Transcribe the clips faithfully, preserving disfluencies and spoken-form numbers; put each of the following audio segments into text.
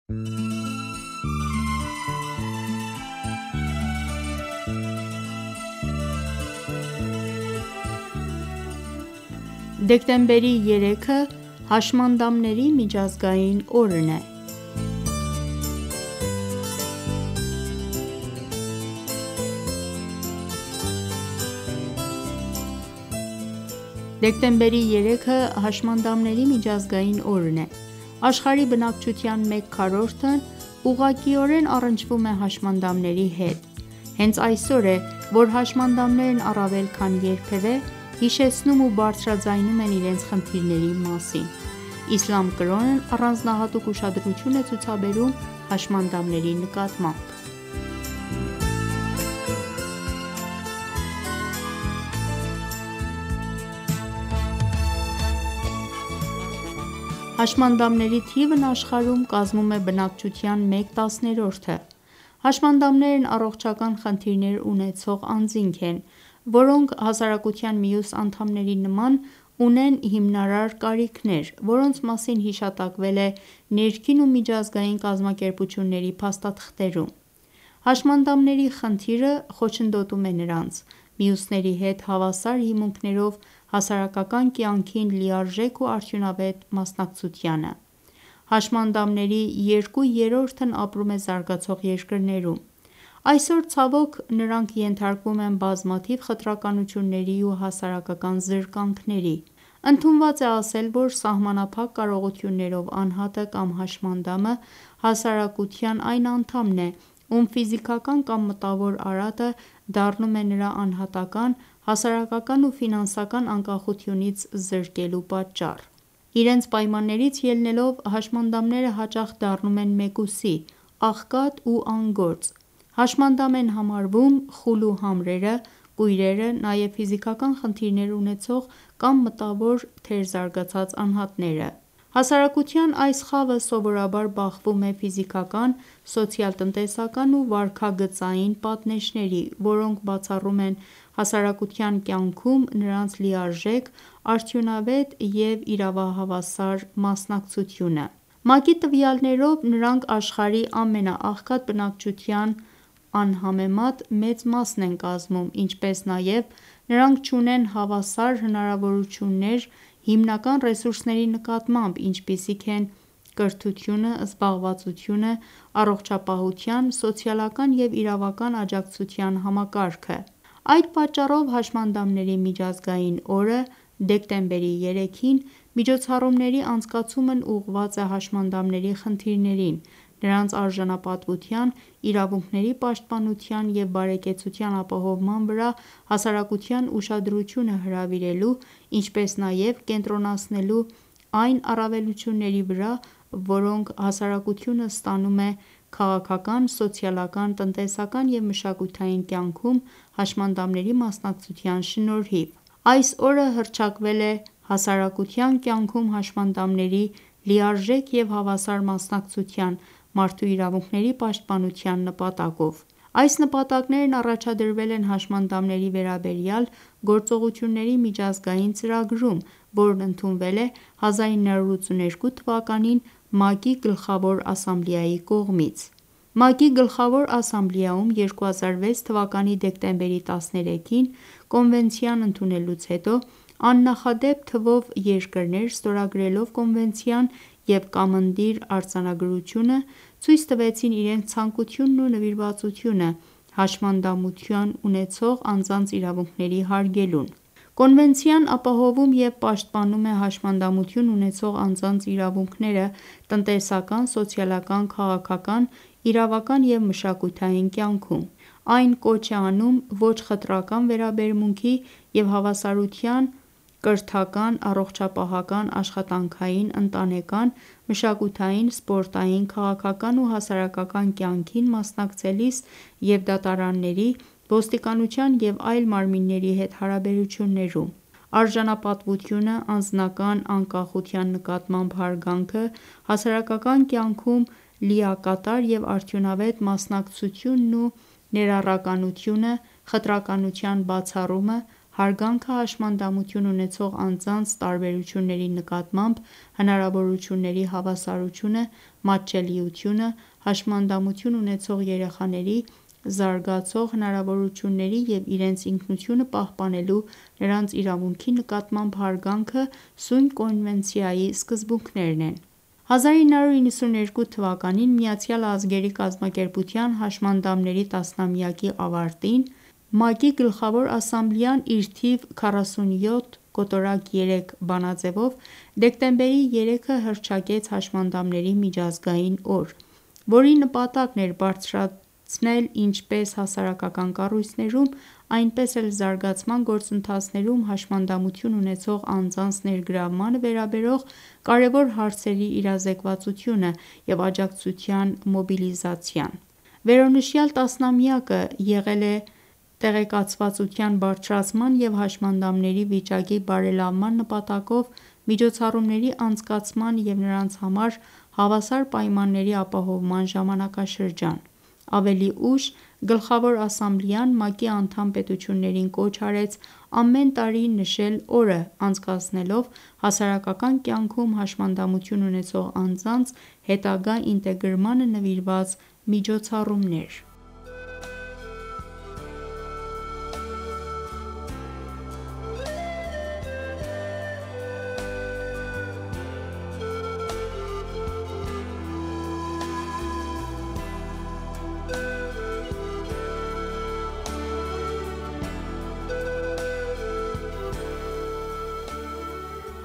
Դեկտեմբերի երեքը հաշմանդամների միջազգային օրն է Դեկտեմբերի երեքը հաշմանդամների միջազգային օրն է: Աշխարհի բնակչության մեկ քառորդն ուղղակիորեն առնչվում է հաշմանդամների հետ: Հենց այսօր է, որ հաշմանդամներն առավել քան երբևէ հիշեցնում ու բարձրաձայնում են իրենց խնդիրների մասին: Իսլամ կրոնն առանձնահատուկ ուշադրություն է ցուցաբերում հաշմանդամների նկատմամբ: Հաշմանդամների թիվն աշխարհում կազմում է բնակչության մեկ տասներորդը: Հաշմանդամներն առողջական խնդիրներ ունեցող անձինք են, որոնք հասարակության մյուս անդամների նման ունեն հիմնարար կարիքներ, որոնց մասին հիշատակվել է ներքին ու միջազգային կազմակերպությունների փաստաթղթերում: Հաշմանդամների խնդիրը խոչընդոտում է նրանց՝ մյուսների հետ հավասար հիմունքներով հասարակական կյանքին լիարժեք ու արդյունավետ մասնակցությանը: Հաշմանդամների երկու երրորդն ապրում է զարգացող երկրներում: Այսօր ցավոք նրանք ենթարկվում են բազմաթիվ խտրականությունների ու հասարակական զրկանքների: Ընդունված է ասել, որ սահմանափակ կարողություններով անհատը կամ հաշմանդամը հասարակության այն անդամն է, ում ֆիզիկական կամ մտավոր արատը դառնում է նրա անհատական, հասարակական ու ֆինանսական անկախությունից զրկելու պատճառ: Իրենց պայմաններից ելնելով հաշմանդամները հաճախ դառնում են մեկուսի, աղքատ ու անգործ: Հաշմանդամ են համարվում խուլ ու համրերը, կույրերը, նաև ֆիզիկական խնդիրներ ունեցող կամ մտավոր թերզարգացած անհատները: Հասարակության այս խավը սովորաբար բախվում է ֆիզիկական, սոցիալ-տնտեսական ու վարքագծային պատնեշների, որոնք բացառում են հասարակության կյանքում նրանց լիարժեք, արդյունավետ և իրավահավասար մասնակցությունը: ՄԱԿ-ի տվյալներով նրանք աշխարհի ամենաաղքատ բնակչության անհամեմատ մեծ մասն են կազմում, ինչպես նաև նրանք չունեն հավասար հնարավորություններ հիմնական ռեսուրսների նկատմամբ, ինչպիսիք են կրթությունը, զբաղվածությունը, առողջապահության, սոցիալական և իրավական աջակցության համակարգը: Այդ պատճառով հաշմանդամների միջազգային օրը՝ դեկտեմբերի երեքին, միջոցառումների անցկացումն ուղղված է հաշմանդամների խնդիրներին, նրանց արժանապատվության, իրավունքների պաշտպանության և բարեկեցության ապահովման վրա հասարակության ուշադրությունը հրավիրելու, ինչպես նաև կենտրոնացնելու այն առավելությունների վրա, որոնք հասարակությունը ստանում է քաղաքական, սոցիալական, տնտեսական և մշակութային կյանքում հաշմանդամների մասնակցության շնորհիվ: Այս օրը հռչակվել է հասարակության կյանքում հաշմանդամների լիարժեք և հավասար մասնակցության, մարդու իրավունքների պաշտպանության նպատակով: Այս նպատակներն առաջադրվել են հաշմանդամների վերաբերյալ գործողությունների միջազգային ծրագրում, որն ընդունվել է հազարինը հարյուր ութսուներկու թվականին ՄԱԿ-ի Գլխավոր ասամբլեայի կողմից: ՄԱԿ-ի Գլխավոր ասամբլեայում երկու հազար վեց թվականի դեկտեմբերի տասներեքին Կոնվենցիան ընդունելուց հետո աննախադեպ թվով երկրներ ստորագրելով Կոնվենցիան և կամնդիր արձանագրությունը, ցույց տվեցին իրենց ցանկությունն ու նվիրվածությունը հաշմանդամություն ունեցող անձանց իրավունքների հարգելուն: Կոնվենցիան ապահովում և պաշտպանում է հաշմանդամություն ունեցող անձանց իրավունքները տնտեսական, սոցիալական, քաղաքական, իրավական և մշակութային կյանքում: Այն կոչ է անում ոչ խտրական վերաբերմունքի և հավասարության կրթական, առողջապահական, աշխատանքային, ընտանեկան, մշակութային, սպորտային, քաղաքական ու հասարակական կյանքին մասնակցելիս և դատարանների, ոստիկանության և այլ մարմինների հետ հարաբերություններում: Արժանապատվությունը, անձնական անկախության նկատմամբ հարգանքը, հասարակական կյանքում լիակատար և արդյունավետ մասնակցությունն ու ներառականությունը, խտրականության բացառումը, հարգանքը հաշմանդամություն ունեցող անձանց տարբերությունների նկատմամբ հնարավորությունների հավասարությունը, մատչելիությունը, հաշմանդամություն ունեցող երեխաների զարգացող հնարավորությունների և իրենց ինքնությունը պահպանելու նրանց իրավունքի նկատմամբ հարգանքը սույն կոնվենցիայի սկզբունքներն են: հազար ինը հարյուր նվաթ թվականին Միացյալ ազգերի կազմակերպության հաշմանդամների տասնամյակի ավարտին ՄԱԿ-ի Գլխավոր ասամբլեան իր թիվ քառասունյոթ կոտորակ երեք բանաձևով դեկտեմբերի երեքը հռչակեց Հաշմանդամների միջազգային օր, որի նպատակն էր բարձրացնել ինչպես հասարակական կառույցներում, այնպես էլ զարգացման գործընթացներում հաշմանդամություն ունեցող անձանց ներգրավմանը վերաբերող կարևոր հարցերի իրազեկվածությունը և աջակցության մոբիլիզացիան: Վերոնշյալ տասնամյակը եղել է տեղեկացվածության բարձրացման և հաշմանդամների վիճակի բարելավման նպատակով միջոցառումների անցկացման և նրանց համար հավասար պայմանների ապահովման ժամանակաշրջան: Ավելի ուշ Գլխավոր ասամբլեան ՄԱԿ-ի անդամ պետություններին կոչ արեց ամեն տարի նշել օրը անցկացնելով հասարակական կյանքում հաշմանդամություն ունեցող անձանց հետագա ինտեգրմանը նվիրված միջոցառումներ: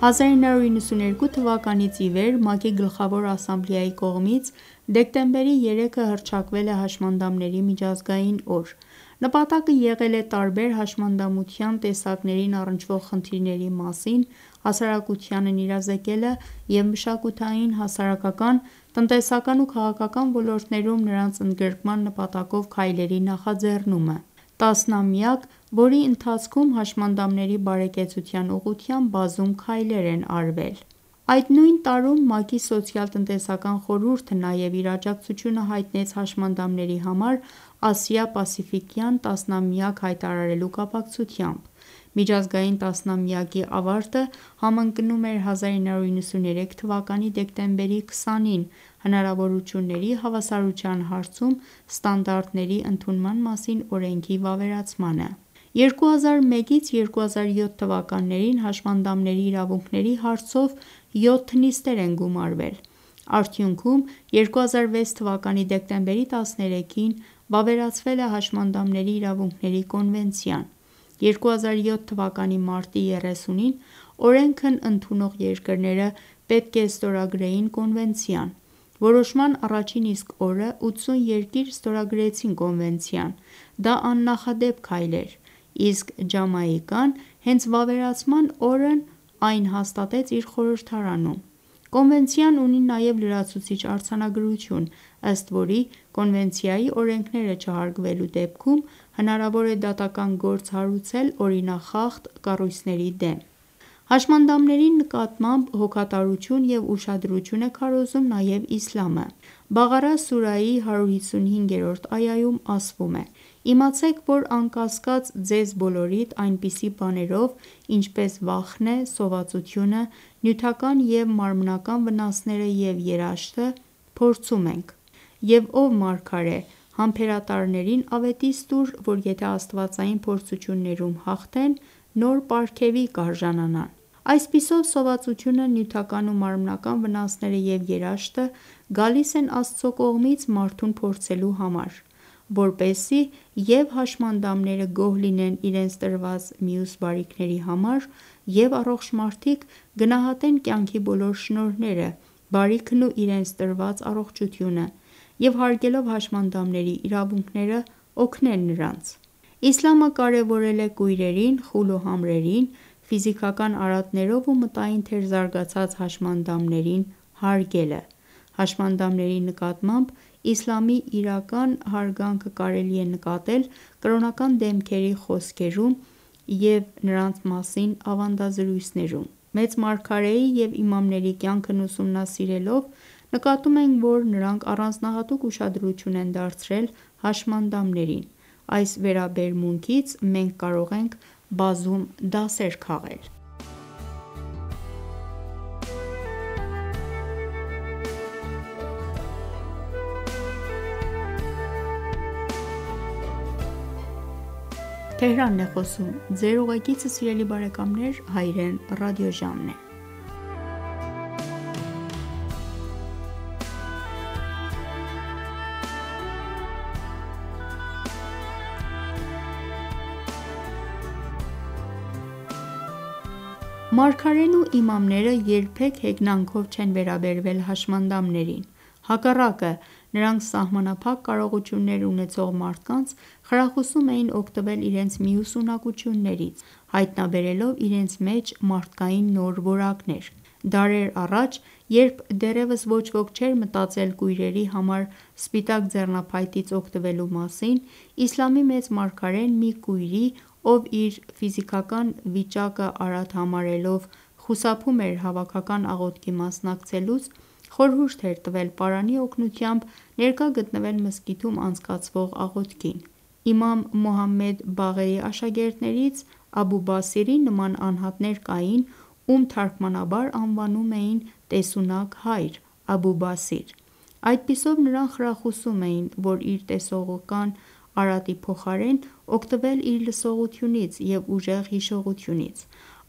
հազար ինը հարյուր նվաթ թվականից ի վեր ՄԱԿ-ի Գլխավոր ասամբլեայի կողմից դեկտեմբերի երեքը հռչակվել է Հաշմանդամների միջազգային օր: Նպատակը եղել է տարբեր հաշմանդամության տեսակներին առնչվող խնդիրների մասին հասարակությանն իրազեկելը և մշակութային, հասարակական, տնտեսական ու քաղաքական ոլորտներում նրանց ընդգրկման նպատակով քայլերի նախաձեռնումը: Տասնամյակ, որի ընթացքում հաշմանդամների բարեկեցության ուղղությամբ բազում քայլեր են արվել: Այդ նույն տարում ՄԱԿ-ի Սոցիալ-տնտեսական խորհուրդը նաև իր աջակցությունը հայտնեց հաշմանդամների համար ասիա-պասիֆիկյան տասնամյակ հայտարարելու կապակցությամբ: Միջազգային տասնամյակի ավարտը համընկնում էր հազար ինը հարյուր նվաթ թվականի դեկտեմբերի քսանին հնարավորությունների հավասարության հարցում ստանդարտների ընդունման մասին օրենքի վավերացմանը: երկու հազար մեկից երկու հազար յոթ թվականներին հաշմանդամների իրավունքների հարցով յոթ նիստեր են գումարվել: Արդյունքում երկու հազար վեց թվականի դեկտեմբերի տասներեքին վավերացվել է Հաշմանդամների իրավունքների կոնվենցիան: երկու հազար յոթ թվականի մարտի երեսունին օրենքն ընդունող երկրները պետք է ստորագրեին կոնվենցիան: Որոշման առաջին իսկ օրը ութսուն երկիր ստորագրեցին կոնվենցիան: Դա աննախադեպ քայլ էր, իսկ Ջամայկան հենց վավերացման օրն այն հաստատեց իր խորհրդարանում: Կոնվենցիան ունի նաև լրացուցիչ արձանագրություն, ըստ որի կոնվենցիայի օրենքները չհարգվելու դեպքում հնարավոր է դատական գործ հարուցել օրինախախտ կառույցների դեմ: Հաշմանդամների նկատմամբ հոգատարություն և ուշադրություն է քարոզում նաև իսլամը: Բաղարա սուրայի հարյուր հիսունհինգերորդ այայում ասվում է. «Իմացեք, որ անկասկած ձեզ բոլորիդ այնպիսի բաներով ինչպես վախն է, սովածությունը, նյութական և մարմնական վնասները և երաշտը, փորձում ենք: Եվ ով մարգարե համբերատարներին ավետիս տուր, որ եթե աստվածային փորձություններում հաղթեն նոր պարգևի կարժանանան»: Այսպիսով սովածությունը, նյութական ու մարմնական վնասները և երաշտը գալիս են Աստծո կողմից մարդուն փորձելու համար, որպեսզի և հաշմանդամները գոհ լինեն իրենց տրված մյուս բարիքների համար և առողջ մարդիկ գնահատեն կյանքի բոլոր շնորհները, բարիքն ու իրենց տրված առողջությունը և հարգելով հաշմանդամների իրավունքները օգնել նրանց: Իսլամը կարևորել է կույրերին, խուլ ու համրերին, ֆիզիկական արատներով ու մտային թերզարգացած հաշմանդամներին հարգելը: Հաշմանդամների նկատմամբ իսլամի իրական հարգանքը կարելի է նկատել կրոնական դեմքերի խոսքերում և նրանց մասին ավանդազրույցներում: Մեծ մարգարեի և իմամների կյանքն ուսումնասիրելով նկատում ենք, որ նրանք առանձնահատուկ ուշադրություն են դարձրել հաշմանդամներին: Այս վերաբերմունքից մենք կարող ենք բազում դասեր քաղել։ Մարգարեն ու իմամները երբեք հեգնանքով չեն վերաբերվել հաշմանդամներին, հակառակը, նրանք սահմանափակ կարողություններ ունեցող մարդկանց խրախուսում էին օգտվել իրենց մյուս ունակություններից, հայտնաբերելով իրենց մեջ մարդկային նոր որակներ: Դարեր առաջ, երբ դեռևս ոչ ոք չէր մտածել կույրերի համար սպիտակ ձեռնափայտից օգտվելու մասին, իսլամի մեծ մարգարեն մի կույրի, ով իր ֆիզիկական վիճակը արատ համարելով խուսափում էր հավաքական աղոթքի մասնակցելուց, խորհուրդ էր տվել պարանի օգնությամբ ներկա գտնվել մզկիթում անցկացվող աղոթքին: Իմամ Մոհամմեդ Բաղերի աշակերտներից Աբու Բասիրի նման անհատներ կային, ում թարգմանաբար անվանում էին տեսունակ հայր (Աբու Բասիր): Այդպիսով նրան խրախուսում էին, որ իր տեսողական արատի փոխարեն օգտվել իր լսողությունից և ուժեղ հիշողությունից: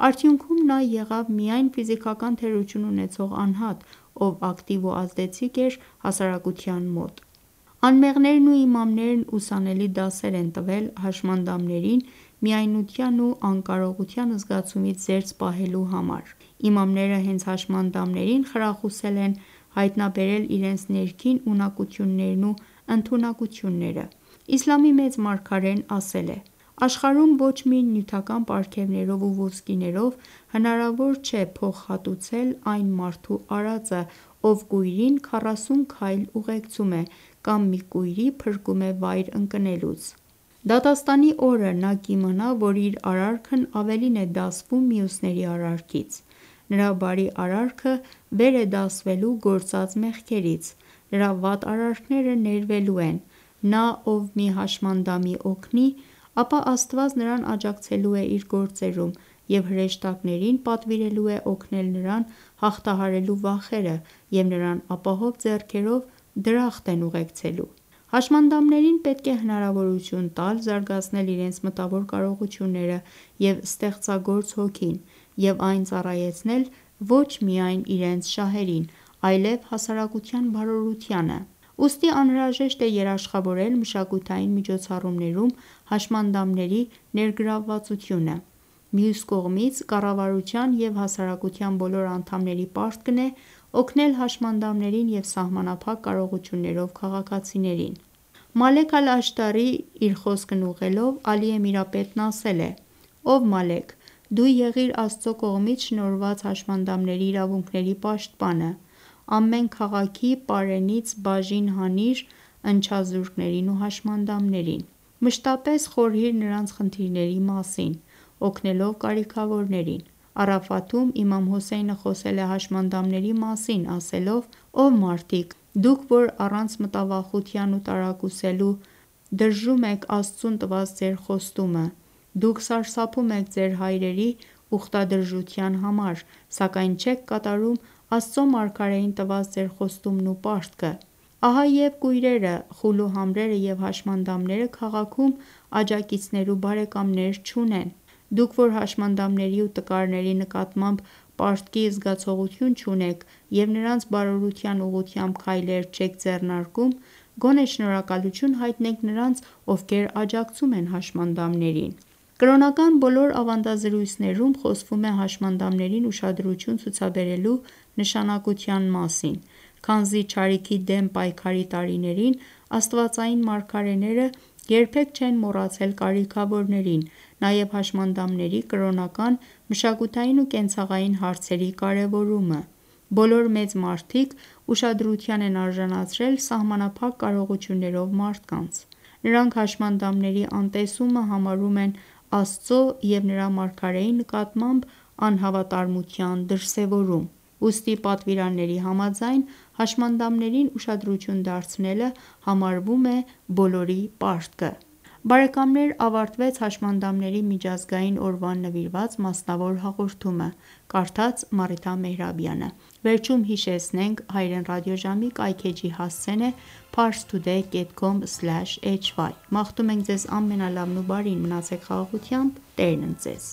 Արդյունքում նա եղավ միայն ֆիզիկական թերություն ունեցող անհատ, ով ակտիվ ու ազդեցիկ էր հասարակության մոտ: Անմեղներն ու իմամներն ուսանելի դասեր են տվել հաշմանդամներին միայնության ու անկարողության զգացումից զերծ պահելու համար: Իմամները հենց հաշմանդամներին խրախուսել են հայտնաբերել իրենց ներքին ունակություններն ու ընդունակությունները: Իսլամի մեծ մարգարեն ասել է. «Աշխարհում ոչ մի նյութական պարգևներով ու ոսկիներով հնարավոր չէ փոխհատուցել այն մարդու արածը, ով կույրին քառասուն քայլ ուղեկցում է կամ մի կույրի փրկում է վայր ընկնելուց: Դատաստանի օրը նա կիմանա, որ իր արարքն ավելին է դասվում մյուսների արարքից: Նրա բարի արարքը վեր է դասվելու գործած մեղքերից: Նրա վատ արարքները ներվելու են: Նա, ով մի հաշմանդամի օգնի, ապա Աստված նրան աջակցելու է իր գործերում և հրեշտակներին պատվիրելու է օգնել նրան հաղթահարելու վախերը և նրան ապահով ձեռքերով դրախտ են ուղեկցելու»: Հաշմանդամներին պետք է հնարավորություն տալ զարգացնել իրենց մտավոր կարողությունները և ստեղծագործ հոգին և այն ծառայեցնել ոչ միայն իրենց շահերին, այլև հասարակության բարօրությանը: Ուստի անհրաժեշտ է երաշխավորել մշակութային միջոցառումներում հաշմանդամների ներգրավվածությունը: Մյուս կողմից, կառավարության և հասարակության բոլոր անդամների պարտքն է օգնել հաշմանդամներին և սահմանափակ կարողություններով քաղաքացիներին: Մալեք Ալ-Աշտարի իր խոսքն ուղղելով Ալի Էմիրապետն ասել է. «Ով Մալեք, դու եղիր Աստծո կողմից շնորհված հաշմանդամների իրավունքների պաշտպանը: Ամեն քաղաքի պարենից բաժին հանիր ընչազուրկներին ու հաշմանդամներին: Մշտապես խորհիր նրանց խնդիրների մասին, օգնելով կարիքավորներին: Առաֆաթում իմամ Հոսեյնը խոսել է հաշմանդամների մասին, ասելով. «Ով մարդիկ, դուք որ առանց մտավախության ու տարակուսելու դրժում եք Աստծուն տված ձեր խոստումը: Դուք սարսափում եք ձեր հայրերի ուխտադրժության համար, սակայն չեք կատարում Աստծո մարգարեին տված ձեր խոստումն ու պարտքը: Ահա և կույրերը, խուլուհամրերը և հաշմանդամները քաղաքում աջակիցներ ու բարեկամներ չունեն: Դուք որ հաշմանդամների ու տկարների նկատմամբ պարտքի զգացողություն չունեք և նրանց բարօրության ուղղությամբ քայլեր չեք ձեռնարկում, գոնե շնորհակալություն հայտնեք նրանց, ովքեր աջակցում են հաշմանդամներին»: Կրոնական բոլոր ավանդազրույցներում խոսվում է հաշմանդամներին ուշադրություն ցուցաբերելու նշանակության մասին, քանզի չարիքի դեմ պայքարի տարիներին աստվածային մարգարեները երբեք չեն մոռացել կարիքավորներին, նաև հաշմանդամների կրոնական, մշակութային ու կենցաղային հարցերի կարևորումը: Բոլոր մեծ մարդիկ ուշադրության են արժանացրել սահմանափակ կարողություններով մարդկանց: Նրանք հաշմանդամների անտեսումը համարում են Աստծո և նրա մարգարեի նկատմամբ անհավատարմության դրսևորում: Ուստի պատվիրանների համաձայն, հաշմանդամներին ուշադրություն դարձնելը համարվում է բոլորի պարտքը: Բարեկամներ ավարտվեց հաշմանդամների միջազգային օրվան նվիրված մասնավոր հաղորդումը, կարդաց Մարիթա Մեհրաբյանը: Վերջում հիշեցնենք հայրեն ռադիոժամի կայքէջի հասցեն է parstoday dot com slash hy: Մաղթում ենք Ձեզ ամենալավն ու բարին: Մնացեք խաղաղությամբ: Տերն ընդ Ձեզ: